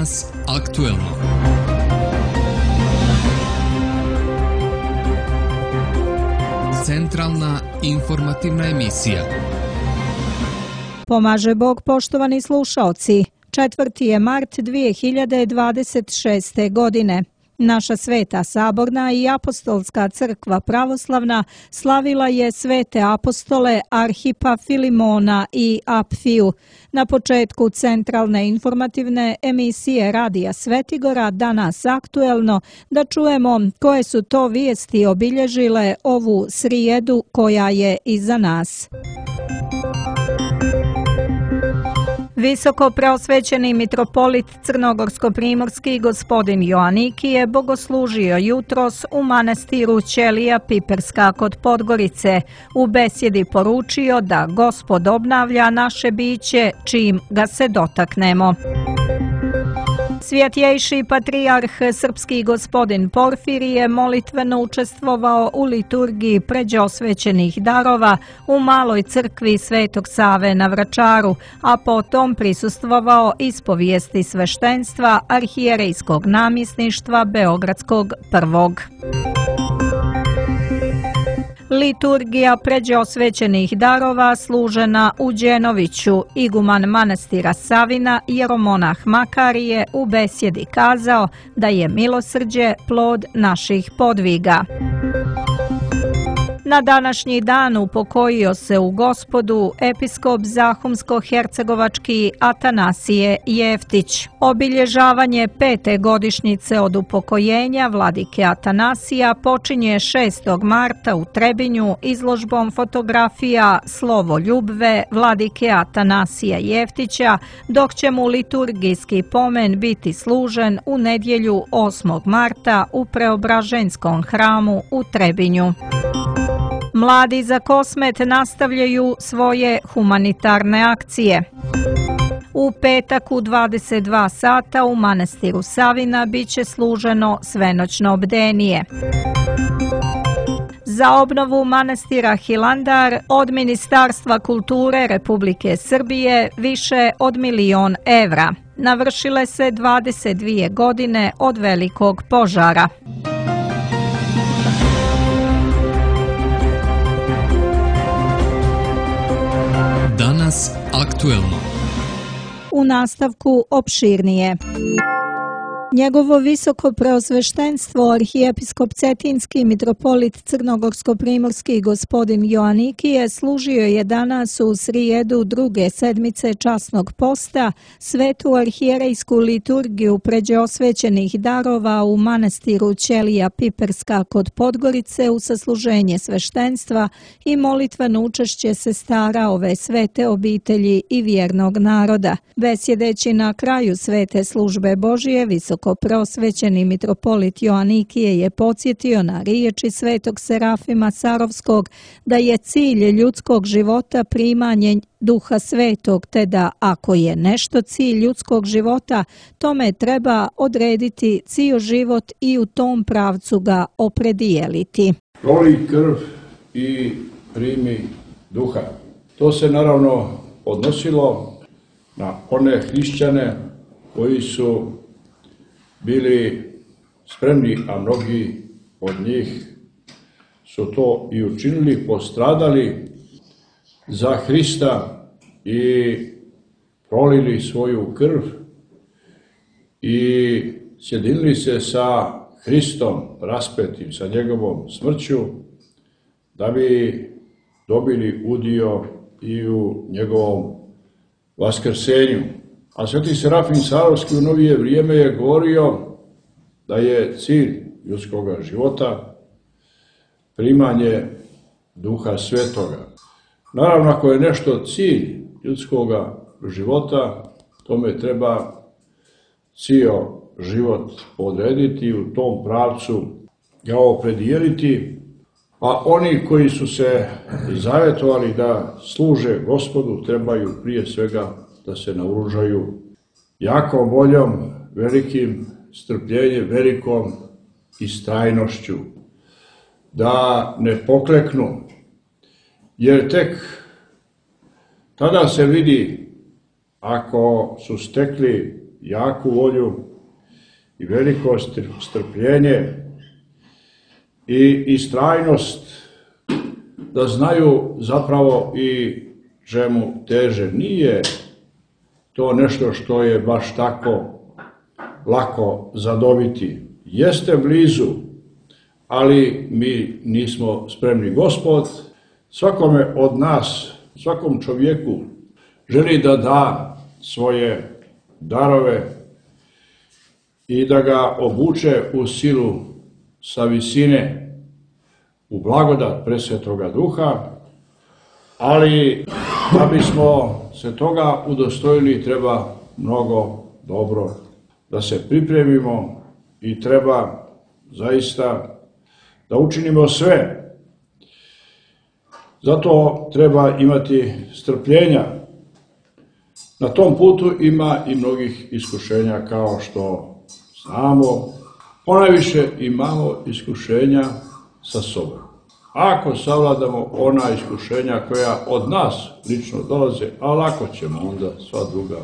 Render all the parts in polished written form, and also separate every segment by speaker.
Speaker 1: Danas aktuelno. Centralna informativna emisija.
Speaker 2: Pomaže Bog, poštovani slušaoci. 4. je mart 2026. godine. Naša Sveta Saborna i Apostolska crkva pravoslavna slavila je svete apostole Arhipa, Filimona i Apfiju. Na početku centralne informativne emisije Radija Svetigora Danas aktuelno da čujemo koje su to vijesti obilježile ovu srijedu koja je iza nas. Visoko preosvećeni mitropolit crnogorsko-primorski gospodin Joaniki je bogoslužio jutros u manastiru Ćelija Piperska kod Podgorice. U besjedi poručio da Gospod obnavlja naše biće čim ga se dotaknemo. Svjetjejši patrijarh srpski gospodin Porfirije je molitveno učestvovao u liturgiji pređosvećenih darova u maloj crkvi Svetog Save na Vračaru, a potom prisustvovao ispovijesti sveštenstva arhijerejskog namjesništva Beogradskog prvog. Liturgija pređosvećenih darova služena u Đenoviću. Iguman manastira Savina jeromonah Makarije u besjedi kazao da je milosrđe plod naših podviga. Na današnji dan upokojio se u Gospodu episkop Zahumsko-hercegovački Atanasije Jeftić. Obilježavanje 5. godišnjice od upokojenja vladike Atanasija počinje 6. marta u Trebinju izložbom fotografija Slovo ljubve vladike Atanasija Jeftića, dok će mu liturgijski pomen biti služen u nedjelju 8. marta u Preobraženskom hramu u Trebinju. Mladi za Kosmet nastavljaju svoje humanitarne akcije. U petak u 22 sata u manastiru Savina biće služeno svenoćno bdenije. Za obnovu manastira Hilandar od Ministarstva kulture Republike Srbije više od 1 milion evra. Navršile se 22 godine od velikog požara.
Speaker 1: Danas aktuelno.
Speaker 2: U nastavku opširnije. Njegovo visoko preosveštenstvo arhijepiskop Cetinski mitropolit crnogorsko-primorski gospodin Joaniki je služio je danas u srijedu druge sedmice časnog posta svetu arhijerejsku liturgiju pređosvećenih darova u manastiru Ćelija Piperska kod Podgorice u sasluženje sveštenstva i molitveno učešće sestara ove svete obitelji i vjernog naroda. Besjedeći na kraju svete službe Božije, visoko preosvećeni mitropolit Joanikije je podsjetio na riječi svetog Serafima Sarovskog da je cilj ljudskog života primanje Duha Svetog, te da ako je nešto cilj ljudskog života, tome treba odrediti cijel život i u tom pravcu ga opredijeliti.
Speaker 3: Proli krv i primi duha. To se naravno odnosilo na one hrišćane koji su bili spremni, a mnogi od njih su to i učinili, postradali za Hrista i prolili svoju krv i sjedinili se sa Hristom raspetim, sa njegovom smrću, da bi dobili udio i u njegovom vaskrsenju. A sveti Serafim Sarovski u novije vrijeme je govorio da je cilj ljudskog života primanje Duha Svetoga. Naravno, ako je nešto cilj ljudskog života, tome treba cijel život odrediti i u tom pravcu ga opredijeliti. A oni koji su se zavjetovali da služe Gospodu trebaju prije svega da se naoružaju jakom voljom, velikim strpljenjem, velikom istrajnošću, da ne pokleknu, jer tek tada se vidi ako su stekli jaku volju i veliko strpljenje i istrajnost, da znaju zapravo i čemu teže. Nije to nešto što je baš tako lako zadobiti. Jeste blizu, ali mi nismo spremni. Gospod svakome od nas, svakom čovjeku želi da da svoje darove i da ga obuče u silu sa visine, u blagodat Presvetoga Duha, ali da bismo se toga udostojili treba mnogo dobro da se pripremimo i treba zaista da učinimo sve. Zato treba imati strpljenja. Na tom putu ima i mnogih iskušenja, kao što znamo. Ponajviše imamo iskušenja sa sobom. Ako savladamo ona iskušenja koja od nas lično dolaze, a lako ćemo onda sva druga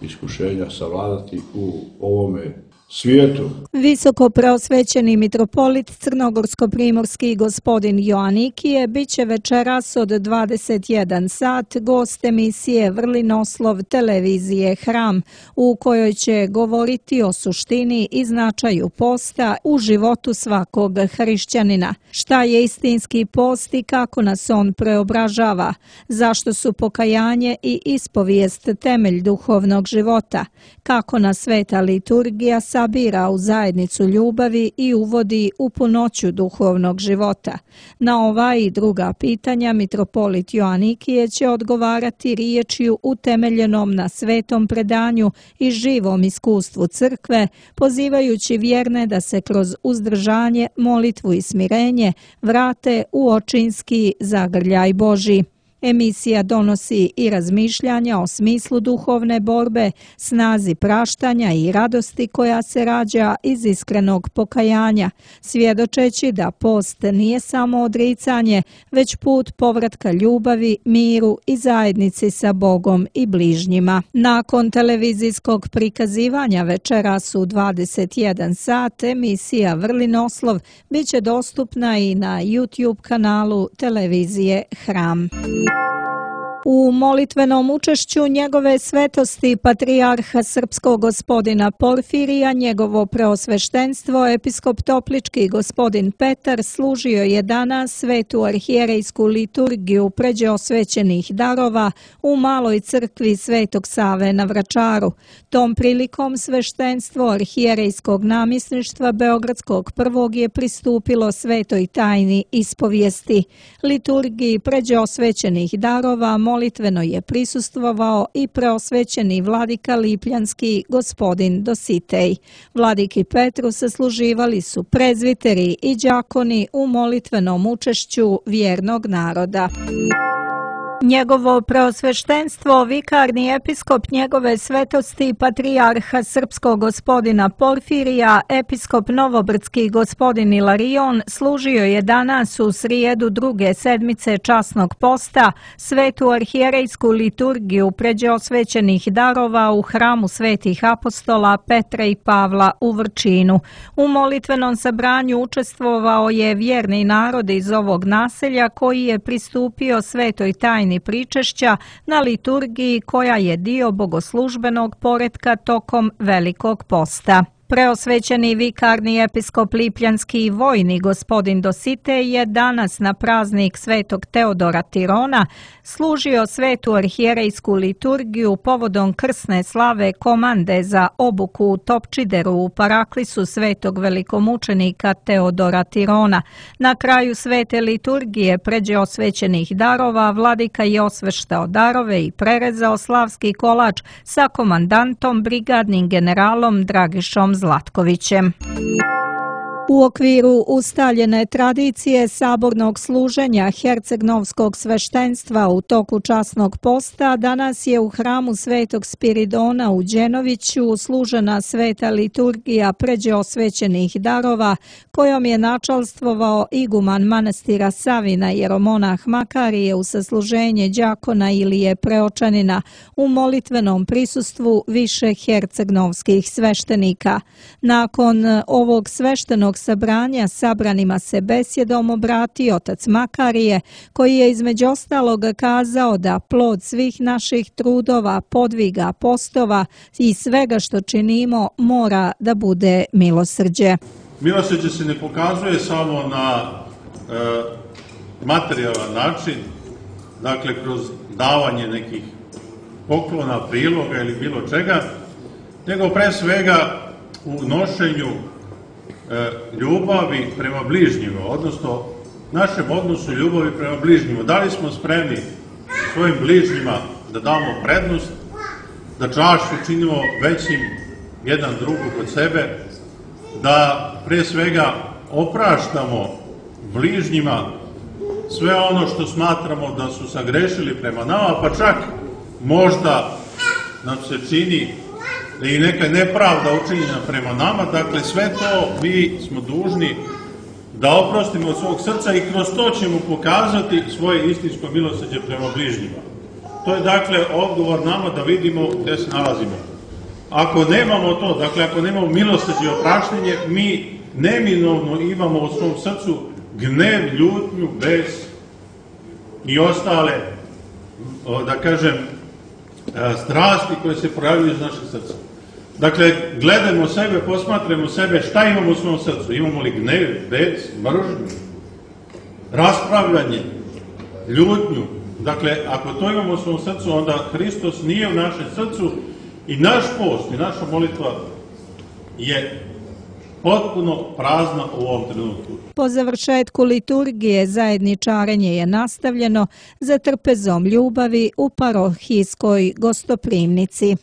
Speaker 3: iskušenja savladati u ovome svijetu.
Speaker 2: Visoko preosvećeni mitropolit crnogorsko-primorski gospodin Joanikije bit će večeras od 21 sat gost emisije Vrlinoslov televizije Hram, u kojoj će govoriti o suštini i značaju posta u životu svakog hrišćanina. Šta je istinski post i kako nas on preobražava? Zašto su pokajanje i ispovijest temelj duhovnog života? Kako nas sveta liturgija sabira u zajednicu ljubavi i uvodi u punoću duhovnog života? Na ova i druga pitanja mitropolit Joanikije će odgovarati riječju utemeljenom na svetom predanju i živom iskustvu crkve, pozivajući vjerne da se kroz uzdržanje, molitvu i smirenje vrate u očinski zagrljaj Božji. Emisija donosi i razmišljanja o smislu duhovne borbe, snazi praštanja i radosti koja se rađa iz iskrenog pokajanja, svjedočeći da post nije samo odricanje, već put povratka ljubavi, miru i zajednici sa Bogom i bližnjima. Nakon televizijskog prikazivanja večeras u 21 sat emisija Vrlinoslov bit će dostupna i na YouTube kanalu televizije Hram. U molitvenom učešću njegove svetosti patrijarha srpskog gospodina Porfirija, njegovo preosveštenstvo episkop Toplički gospodin Petar služio je danas svetu arhijerejsku liturgiju pređe osvećenih darova u maloj crkvi Svetog Save na Vračaru. Tom prilikom sveštenstvo arhijerejskog namjesništva Beogradskog prvog je pristupilo svetoj tajni ispovijesti. Liturgiji pređe osvećenih darova molitveno je prisustvovao i preosvećeni vladika Lipljanski gospodin Dositej. Vladiki Petru sasluživali su prezviteri i đakoni u molitvenom učešću vjernog naroda. Njegovo preosveštenstvo, vikarni episkop njegove svetosti patrijarha srpskog gospodina Porfirija, episkop novobrdski gospodin Ilarion, služio je danas u srijedu druge sedmice časnog posta svetu arhijerejsku liturgiju pređe osvećenih darova u hramu svetih apostola Petra i Pavla u Vrčinu. U molitvenom sabranju učestvovao je vjerni narod iz ovog naselja koji je pristupio svetoj tajni pričešća na liturgiji koja je dio bogoslužbenog poretka tokom Velikog posta. Preosvećeni vikarni episkop Lipljanski i vojni gospodin Dositej je danas na praznik svetog Teodora Tirona služio svetu arhijerejsku liturgiju povodom krsne slave komande za obuku u Topčideru u paraklisu svetog velikomučenika Teodora Tirona. Na kraju svete liturgije pređe osvećenih darova vladika je osveštao darove i prerezao slavski kolač sa komandantom brigadnim generalom Dragišom Zlatkovićem. U okviru ustaljene tradicije sabornog služenja hercegnovskog sveštenstva u toku časnog posta danas je u hramu Svetog Spiridona u Đenoviću služena sveta liturgija pređe osvećenih darova kojom je načalstvovao iguman manastira Savina jeromonah Makarije u sasluženje đakona Ilije Preočanina u molitvenom prisustvu više hercegnovskih sveštenika. Nakon ovog sveštenog sabranja sabranima se besjedom obratio otac Makarije, koji je između ostalog kazao da plod svih naših trudova, podviga, postova i svega što činimo mora da bude milosrđe.
Speaker 4: Milosrđe se ne pokazuje samo na materijalan način, dakle kroz davanje nekih poklona, priloga ili bilo čega, nego pre svega u nošenju ljubavi prema bližnjima, odnosno našem odnosu ljubavi prema bližnjima. Da li smo spremni svojim bližnjima da damo prednost, da čašu činimo većim jedan drugog od sebe, da pre svega opraštamo bližnjima sve ono što smatramo da su sagrešili prema nama, pa čak možda nam se čini da i neka nepravda učinjena prema nama, dakle sve to mi smo dužni da oprostimo od svog srca i kroz to ćemo pokazati svoje istinsko milosrđe prema bližnjima. To je dakle odgovor nama da vidimo gde se nalazimo. Ako nemamo to, dakle ako nemamo milosrđe i opraštanje, mi neminovno imamo u svom srcu gnev, ljutnju, bes i ostale, da kažem, strasti koje se pojavljuju iz našeg srca. Dakle, gledamo sebe, posmatramo sebe, šta imamo u svom srcu? Imamo li gnev, bes, mržnju, raspravljanje, ljutnju? Dakle, ako to imamo u svom srcu, onda Hristos nije u našem srcu i naš post i naša molitva je potpuno prazna u ovom trenutku.
Speaker 2: Po završetku liturgije zajedničarenje je nastavljeno za trpezom ljubavi u parohijskoj gostoprimnici.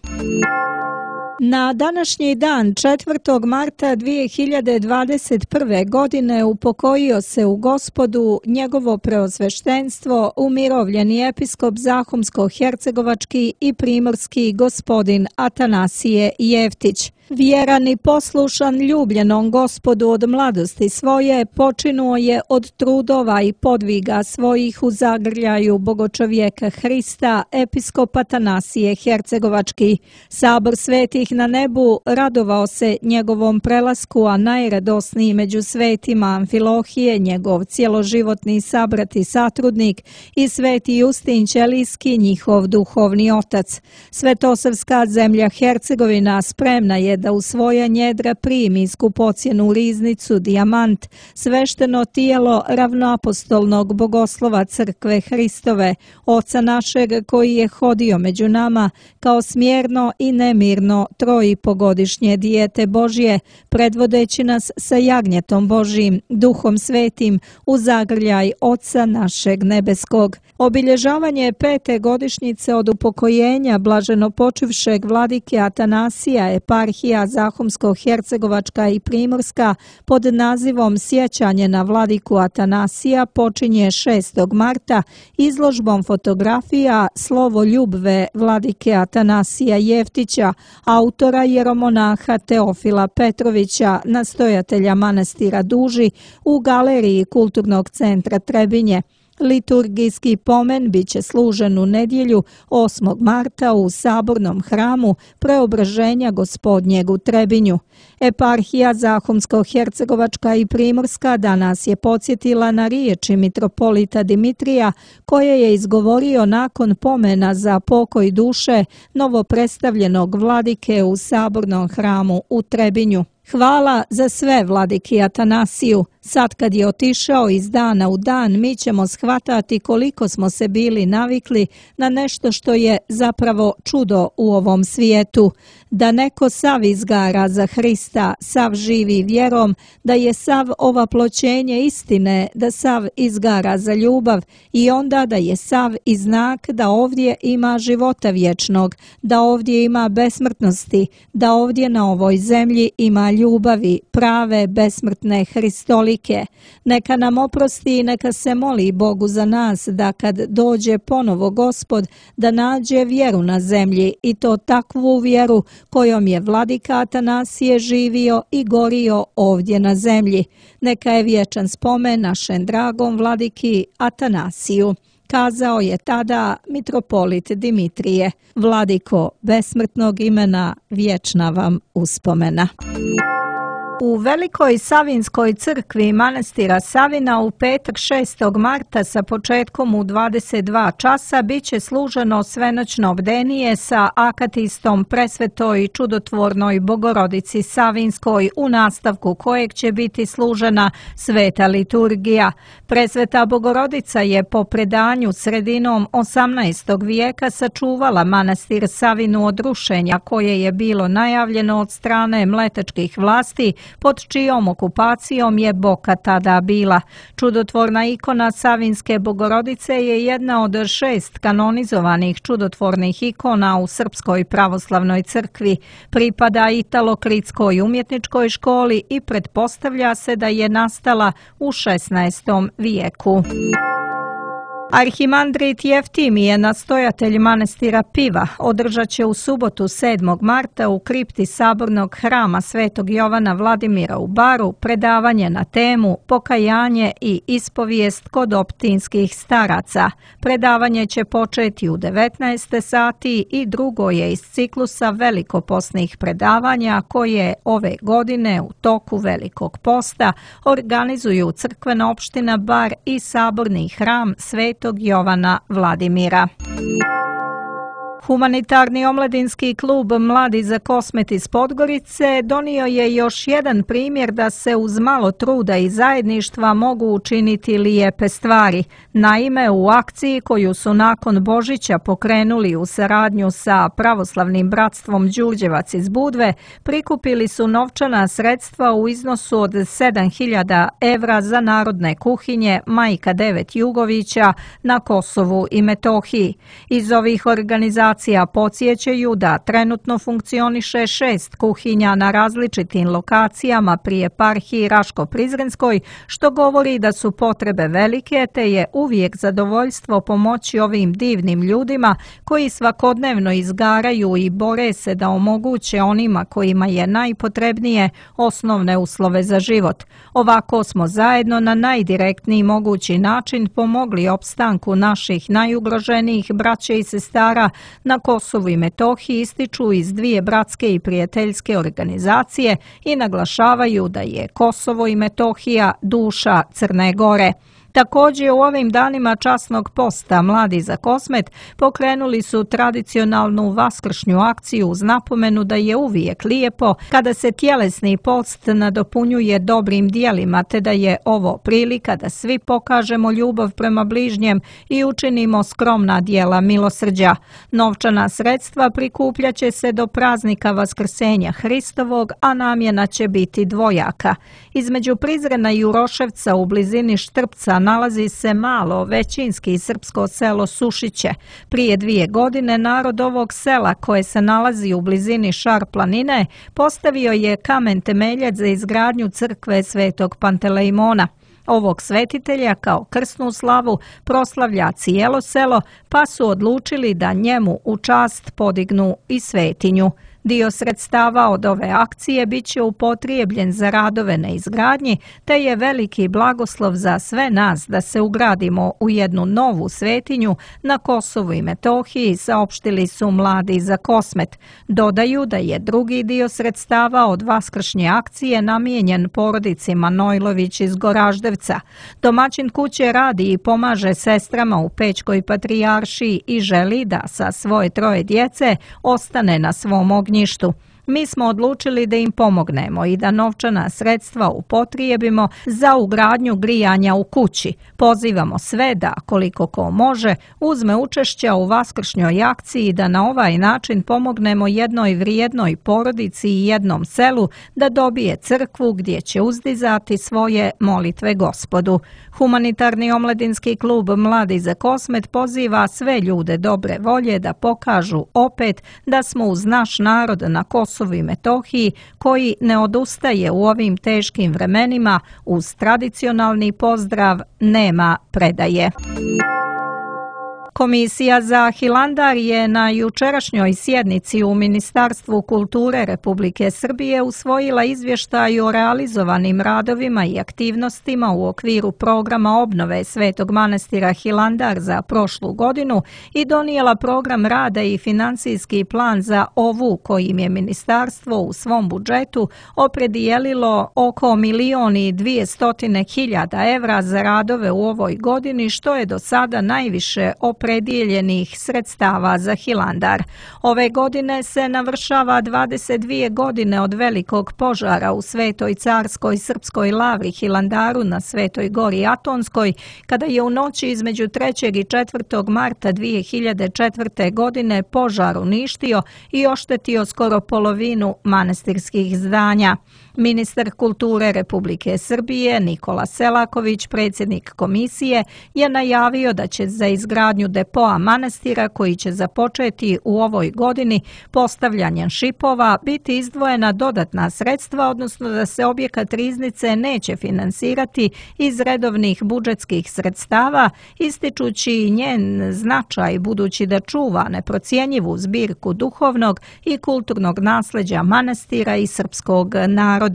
Speaker 2: Na današnji dan 4. marta 2021. godine upokojio se u Gospodu njegovo preosveštenstvo umirovljeni episkop Zahumsko-hercegovački i primorski gospodin Atanasije Jeftić. Vjeran i poslušan ljubljenom Gospodu od mladosti svoje, počinuo je od trudova i podviga svojih u zagrljaju bogočovjeka Hrista, episkop Atanasije Hercegovački. Sabor svetih na nebu radovao se njegovom prelasku, a najradosniji među svetima Amfilohije, njegov cjeloživotni sabrat i satrudnik, i sveti Justin Ćelijski, njihov duhovni otac. Svetosavska zemlja Hercegovina spremna je da u svoja njedra primi skupocjenu riznicu, dijamant, svešteno tijelo ravnoapostolnog bogoslova crkve Hristove, oca našeg koji je hodio među nama kao smjerno i nemirno 3,5-godišnje dijete Božje, predvodeći nas sa jagnjetom Božjim, duhom svetim, u zagrljaj Oca našeg nebeskog. Obilježavanje 5. godišnjice od upokojenja blaženopočivšeg vladike Atanasija, eparhija Zahumsko-hercegovačka i primorska pod nazivom Sjećanje na vladiku Atanasija počinje 6. marta izložbom fotografija Slovo ljubve vladike Atanasija Jeftića, autora jeromonaha Teofila Petrovića, nastojatelja manastira Duži, u galeriji Kulturnog centra Trebinje. Liturgijski pomen biće služen u nedjelju 8. marta u sabornom hramu Preobraženja Gospodnjeg u Trebinju. Eparhija Zahumsko-hercegovačka i primorska danas je podsjetila na riječi mitropolita Dimitrija koje je izgovorio nakon pomena za pokoj duše novopredstavljenog vladike u sabornom hramu u Trebinju. Hvala za sve vladiki Atanasiju, Sad kad je otišao iz dana u dan, mi ćemo shvatati koliko smo se bili navikli na nešto što je zapravo čudo u ovom svijetu, da neko sav izgara za Hrista, sav živi vjerom, da je sav ovaploćenje istine, da sav izgara za ljubav i onda da je sav i znak da ovdje ima života vječnog, da ovdje ima besmrtnosti, da ovdje na ovoj zemlji ima ljubavi, prave, besmrtne, hristolike. Neka nam oprosti i neka se moli Bogu za nas da kad dođe ponovo Gospod da nađe vjeru na zemlji i to takvu vjeru kojom je vladika Atanasije živio i gorio ovdje na zemlji. Neka je vječan spomen našem dragom vladiki Atanasiju. Kazao je tada mitropolit Dimitrije: Vladiko besmrtnog imena, vječna vam uspomena. U Velikoj Savinskoj crkvi manastira Savina u petak 6. marta sa početkom u 22 časa bit će služeno svenoćno bdenije sa akatistom Presvetoj i čudotvornoj Bogorodici Savinskoj, u nastavku kojeg će biti služena sveta liturgija. Presveta Bogorodica je po predanju sredinom 18. vijeka sačuvala manastir Savinu od rušenja koje je bilo najavljeno od strane mletačkih vlasti, pod čijom okupacijom je Boka tada bila. Čudotvorna ikona Savinske Bogorodice je jedna od 6 kanonizovanih čudotvornih ikona u Srpskoj pravoslavnoj crkvi. Pripada Italokritskoj umjetničkoj školi i pretpostavlja se da je nastala u 16. vijeku. Arhimandrit Jeftimije, nastojatelj manastira Piva, održat će u subotu 7. marta u kripti Sabornog hrama Svetog Jovana Vladimira u Baru predavanje na temu Pokajanje i ispovijest kod optinskih staraca. Predavanje će početi u 19. sati i drugo je iz ciklusa velikoposnih predavanja koje ove godine u toku Velikog posta organizuju crkvena opština Bar i Saborni hram Svetog Jovana Vladimira. Humanitarni omladinski klub Mladi za Kosmet iz Podgorice donio je još jedan primjer da se uz malo truda i zajedništva mogu učiniti lijepe stvari. Naime, u akciji koju su nakon Božića pokrenuli u saradnju sa Pravoslavnim bratstvom Đurđevac iz Budve, prikupili su novčana sredstva u iznosu od 7.000 evra za narodne kuhinje Majka 9 Jugovića na Kosovu i Metohiji. Iz ovih organizacija podsjećaju da trenutno funkcioniše 6 kuhinja na različitim lokacijama pri eparhiji Raško-Prizrenskoj, što govori da su potrebe velike, te je uvijek zadovoljstvo pomoći ovim divnim ljudima koji svakodnevno izgaraju i bore se da omoguće onima kojima je najpotrebnije osnovne uslove za život. Ovako smo zajedno na najdirektniji mogući način pomogli opstanku naših najugroženijih braće i sestara na Kosovu i Metohiji, ističu iz dvije bratske i prijateljske organizacije i naglašavaju da je Kosovo i Metohija duša Crne Gore. Također u ovim danima časnog posta Mladi za Kosmet pokrenuli su tradicionalnu vaskršnju akciju uz napomenu da je uvijek lijepo kada se tjelesni post nadopunjuje dobrim dijelima, te da je ovo prilika da svi pokažemo ljubav prema bližnjem i učinimo skromna dijela milosrđa. Novčana sredstva prikupljaće se do praznika Vaskrsenja Hristovog, a namjena će biti dvojaka. Između Prizrena i Uroševca u blizini Štrpca nalazi se malo većinski srpsko selo Sušiće. Prije 2 godine narod ovog sela, koje se nalazi u blizini Šar planine, postavio je kamen temeljac za izgradnju crkve Svetog Pantelejmona. Ovog svetitelja kao krsnu slavu proslavlja cijelo selo, pa su odlučili da njemu u čast podignu i svetinju. Dio sredstava od ove akcije bit će upotrijebljen za radove na izgradnji, te je veliki blagoslov za sve nas da se ugradimo u jednu novu svetinju na Kosovu i Metohiji, saopštili su Mladi za Kosmet. Dodaju da je drugi dio sredstava od vaskršnje akcije namijenjen porodici Manojlović iz Goraždevca. Domaćin kuće radi i pomaže sestrama u Pećkoj patrijaršiji i želi da sa svoje 3 djece ostane na svom ognjištu. Mi smo odlučili da im pomognemo i da novčana sredstva upotrijebimo za ugradnju grijanja u kući. Pozivamo sve da, koliko ko može, uzme učešća u vaskršnjoj akciji da na ovaj način pomognemo jednoj vrijednoj porodici i jednom selu da dobije crkvu gdje će uzdizati svoje molitve Gospodu. Humanitarni omladinski klub Mladi za Kosmet poziva sve ljude dobre volje da pokažu opet da smo uz naš narod na Kosovu i Metohiji koji ne odustaje u ovim teškim vremenima. Uz tradicionalni pozdrav nema predaje. Komisija za Hilandar je na jučerašnjoj sjednici u Ministarstvu kulture Republike Srbije usvojila izvještaj o realizovanim radovima i aktivnostima u okviru programa obnove Svetog manastira Hilandar za prošlu godinu i donijela program rada i financijski plan za ovu kojim je ministarstvo u svom budžetu opredijelilo oko 1.200.000 evra za radove u ovoj godini, što je do sada najviše opredijeljenih sredstava za Hilandar. Ove godine se navršava 22 godine od velikog požara u Svetoj carskoj srpskoj lavri Hilandaru na Svetoj gori Atonskoj, kada je u noći između 3. i 4. marta 2004. godine požar uništio i oštetio skoro polovinu manastirskih zdanja. Ministar kulture Republike Srbije Nikola Selaković, predsjednik komisije, je najavio da će za izgradnju depoa manastira koji će započeti u ovoj godini postavljanjem šipova biti izdvojena dodatna sredstva, odnosno da se objekat riznice neće finansirati iz redovnih budžetskih sredstava, ističući njen značaj budući da čuva neprocjenjivu zbirku duhovnog i kulturnog nasleđa manastira i srpskog naroda.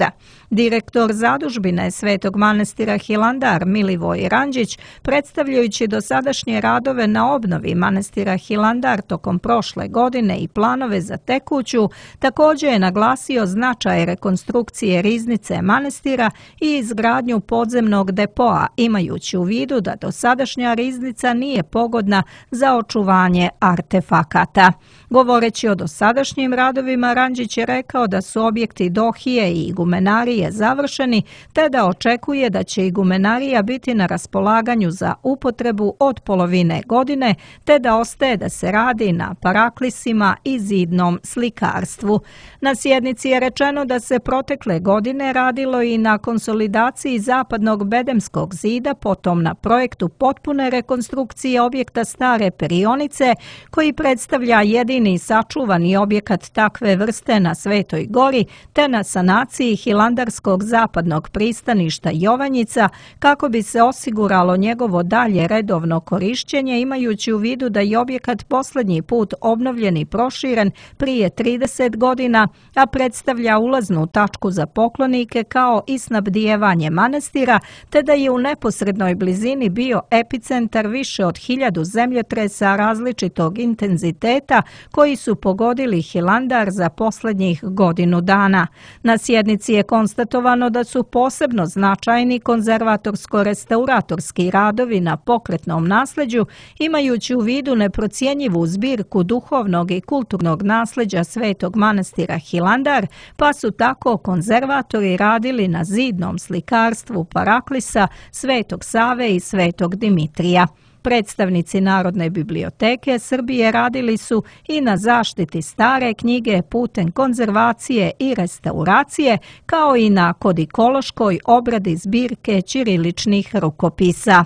Speaker 2: Direktor zadužbine Svetog manastira Hilandar Milivoj Ranđić, predstavljajući dosadašnje radove na obnovi manastira Hilandar tokom prošle godine i planove za tekuću, također je naglasio značaj rekonstrukcije riznice manastira i izgradnju podzemnog depoa, imajući u vidu da dosadašnja riznica nije pogodna za očuvanje artefakata. Govoreći o dosadašnjim radovima, Ranđić je rekao da su objekti dohije i igumenarije završeni, te da očekuje da će igumenarija biti na raspolaganju za upotrebu od polovine godine, te da ostaje da se radi na paraklisima i zidnom slikarstvu. Na sjednici je rečeno da se protekle godine radilo i na konsolidaciji zapadnog bedemskog zida, potom na projektu potpune rekonstrukcije objekta stare perionice, koji predstavlja jedini sačuvani objekat takve vrste na Svetoj gori, te na sanaciji hilandarskog zapadnog pristaništa Jovanjica, kako bi se osiguralo njegovo dalje redovno korišćenje, imajući u vidu da je objekat posljednji put obnovljen i proširen prije 30 godina, a predstavlja ulaznu tačku za poklonike kao i snabdijevanje manastira, te da je u neposrednoj blizini bio epicentar više od 1000 zemljotresa različitog intenziteta koji su pogodili Hilandar za posljednjih godinu dana. Na sjednici je konstatovano da su posebno značajni konzervatorsko-restauratorski radovi na pokretnom nasleđu, imajući u vidu neprocjenjivu zbirku duhovnog i kulturnog nasleđa Svetog manastira Hilandar, pa su tako konzervatori radili na zidnom slikarstvu Paraklisa, Svetog Save i Svetog Dimitrija. Predstavnici Narodne biblioteke Srbije radili su i na zaštiti stare knjige putem konzervacije i restauracije, kao i na kodikološkoj obradi zbirke ćiriličnih rukopisa.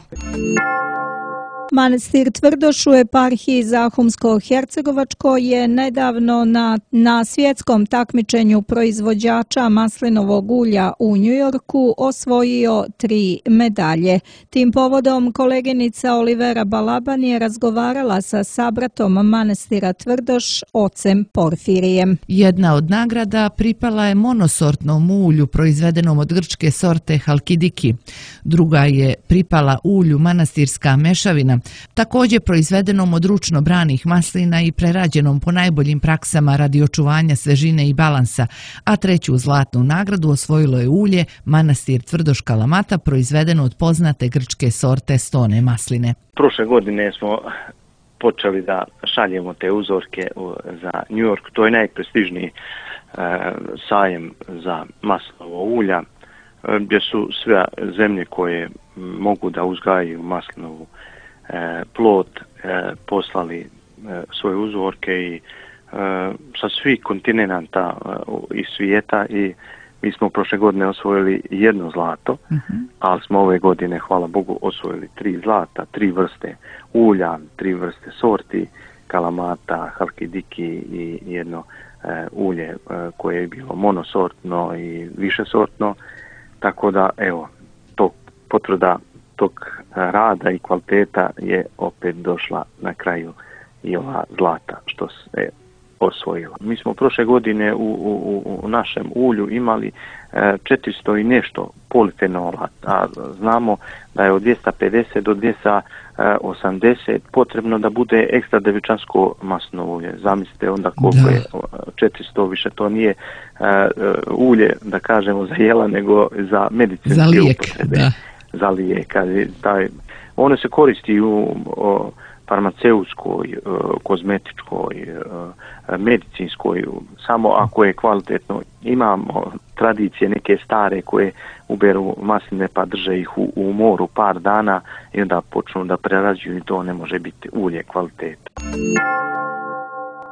Speaker 2: Manastir Tvrdoš u eparhiji Zahumsko-Hercegovačko je nedavno na svjetskom takmičenju proizvođača maslinovog ulja u Njujorku osvojio 3 medalje. Tim povodom koleginica Olivera Balaban je razgovarala sa sabratom manastira Tvrdoš, ocem Porfirijem.
Speaker 5: Jedna od nagrada pripala je monosortnom ulju proizvedenom od grčke sorte Halkidiki. Druga je pripala ulju manastirska mešavina, također proizvedenom od ručno branih maslina i prerađenom po najboljim praksama radi očuvanja svežine i balansa, a treću zlatnu nagradu osvojilo je ulje Manastir Tvrdoš Kalamata proizvedeno od poznate grčke sorte stone masline.
Speaker 6: Prošle godine smo počeli da šaljemo te uzorke za New York, to je najprestižniji sajem za maslinovo ulja, gdje su sve zemlje koje mogu da uzgajaju maslinovu plod poslali svoje uzorke i sa svih kontinenta iz svijeta i mi smo prošle godine osvojili 1 zlato, ali smo ove godine, hvala Bogu, osvojili 3 zlata, 3 vrste ulja, 3 vrste sorti, kalamata, halkidiki i jedno ulje koje je bilo monosortno i višesortno, tako da evo, potvrda tog rada i kvaliteta je opet došla na kraju i ova zlata što se osvojila. Mi smo prošle godine u našem ulju imali 400 i nešto polifenola, a znamo da je od 250 do 280 potrebno da bude ekstra devičansko maslinovo ulje. Zamislite onda koliko je 400, više to nije ulje, da kažemo, za jela, nego za medicinske upotrebe. Za lijek. Ono se koristi u farmaceutskoj, kozmetičkoj, medicinskoj, samo ako je kvalitetno. Imamo tradicije neke stare koje uberu masline pa drže ih u moru par dana i onda počnu da prerađuju i to ne može biti ulje kvaliteta.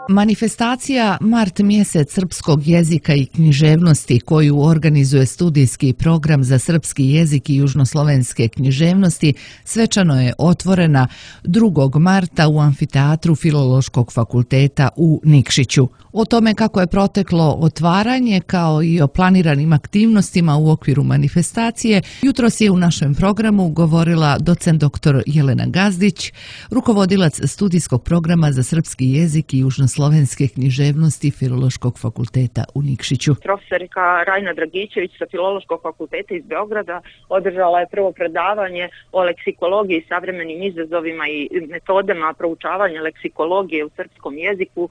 Speaker 5: Manifestacija Mart mjesec srpskog jezika i književnosti koju organizuje studijski program za srpski jezik i južnoslovenske književnosti svečano je otvorena 2. marta u amfiteatru Filološkog fakulteta u Nikšiću. O tome kako je proteklo otvaranje kao i o planiranim aktivnostima u okviru manifestacije jutros je u našem programu govorila docent dr. Jelena Gazdić, rukovodilac studijskog programa za srpski jezik i južnoslovenske književnosti Filološkog fakulteta u Nikšiću.
Speaker 7: Profesorka Rajna Dragićević sa Filološkog fakulteta iz Beograda održala je prvo predavanje o leksikologiji, savremenim izazovima i metodama proučavanja leksikologije u srpskom jeziku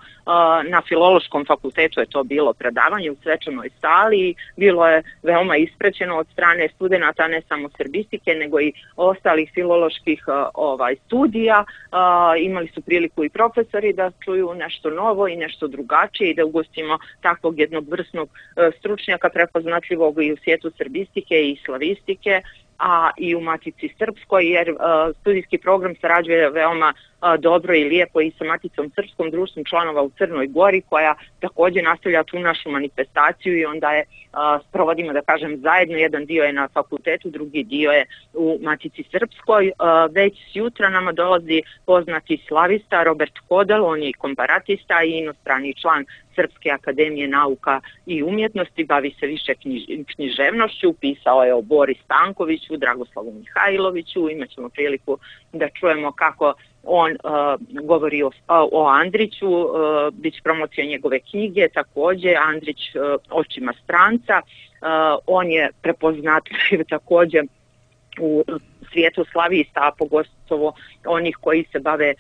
Speaker 7: na Filološkom fakultetu. Je to bilo predavanje u svečanoj sali, bilo je veoma ispraćeno od strane studenata ne samo srbistike nego i ostalih filoloških studija. Imali su priliku i profesori da čuju nešto novo i nešto drugačije i da ugostimo takvog jednog vrsnog stručnjaka prepoznatljivog i u svijetu srbistike i slavistike, a i u Matici Srpskoj, jer studijski program sarađuje veoma dobro i lijepo i sa Maticom Srpskom, društvom članova u Crnoj Gori, koja također nastavlja tu našu manifestaciju i onda je sprovodimo, da kažem, zajedno. Jedan dio je na fakultetu, drugi dio je u Matici Srpskoj. Već jutra nama dolazi poznati slavista Robert Kodel, on je komparatista i inostrani član Srpske akademije nauka i umjetnosti, bavi se više književnošću, pisao je o Bori Stankoviću, Dragoslavu Mihajloviću, imat ćemo priliku da čujemo kako on govori o Andriću, bit će promocija njegove knjige, također Andrić očima stranca. On je prepoznatljiv također u svijetu slavista, a pogotovo onih koji se bave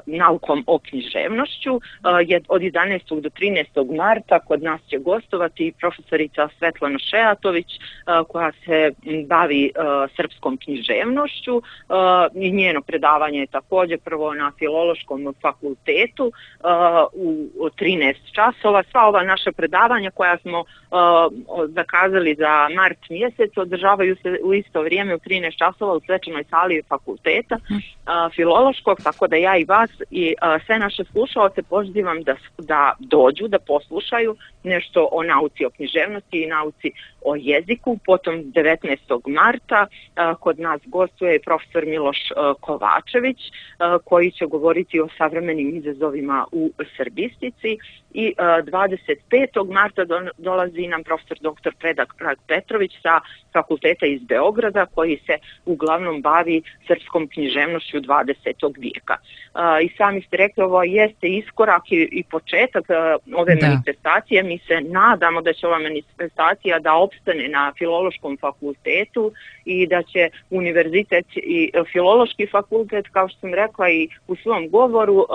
Speaker 7: naukom o književnošću. Od 11. do 13. marta kod nas će gostovati profesorica Svetlana Šejatović koja se bavi srpskom književnošću i njeno predavanje je također prvo na Filološkom fakultetu u 13 časova. Sva ova naša predavanja koja smo zakazali za mart mjesec održavaju se u isto vrijeme u 13 časova u svečanoj sali fakulteta Filološkog, tako da ja i vas i sve naše slušaoce pozivam da dođu, da poslušaju nešto o nauci o književnosti i nauci o jeziku. Potom 19. marta kod nas gostuje profesor Miloš Kovačević koji će govoriti o savremenim izazovima u srbistici i 25. marta dolazi nam profesor dr. Predrag Petrović sa fakulteta iz Beograda koji se uglavnom bavi srpskom književnošću 20. vijeka. I sami ste rekli, ovo jeste iskorak i početak ove manifestacije. Mi se nadamo da će ova manifestacija da opstane na Filološkom fakultetu i da će univerzitet i Filološki fakultet, kao što sam rekla i u svom govoru,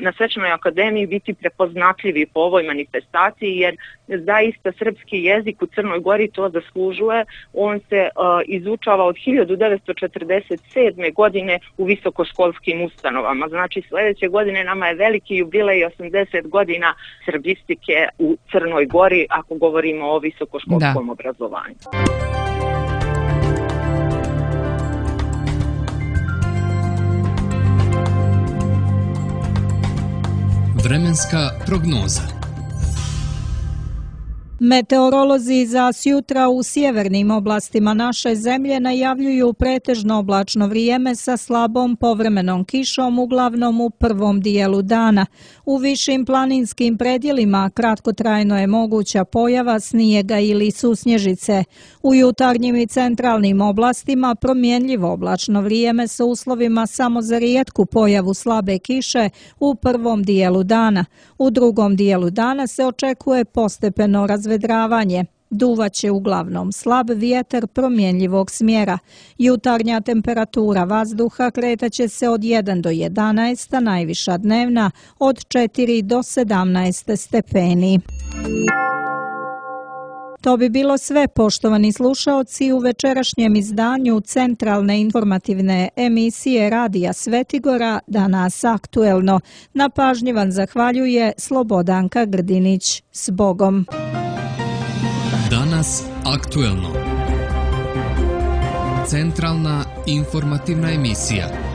Speaker 7: na Svečanoj akademiji biti prepoznatljivi po ovoj manifestaciji, jer zaista srpski jezik u Crnoj Gori to zaslužuje. On se izučava od 1947. godine u visokoškolskim ustanovama. Znači sljedeće godine nama je veliki jubilej 80 godina srbistike u Crnoj Gori ako govorimo o visokoškolskom obrazovanju.
Speaker 1: Vremenska prognoza.
Speaker 2: Meteorolozi za sjutra u sjevernim oblastima naše zemlje najavljuju pretežno oblačno vrijeme sa slabom povremenom kišom, uglavnom u prvom dijelu dana. U višim planinskim predjelima kratkotrajno je moguća pojava snijega ili susnježice. U jutarnjim i centralnim oblastima promjenljivo oblačno vrijeme sa uslovima samo za rijetku pojavu slabe kiše u prvom dijelu dana. U drugom dijelu dana se očekuje postepeno razvedravanje. Duvaće uglavnom slab vjetar promjenljivog smjera. Jutarnja temperatura vazduha kretaće se od 1 do 11, a najviša dnevna od 4 do 17 stepeni. To bi bilo sve, poštovani slušaoci, u večerašnjem izdanju centralne informativne emisije Radija Svetigora Danas aktuelno. Na pažnji vam zahvaljuje Slobodanka Grdinić. S Bogom!
Speaker 1: Danas aktuelno. Centralna informativna emisija.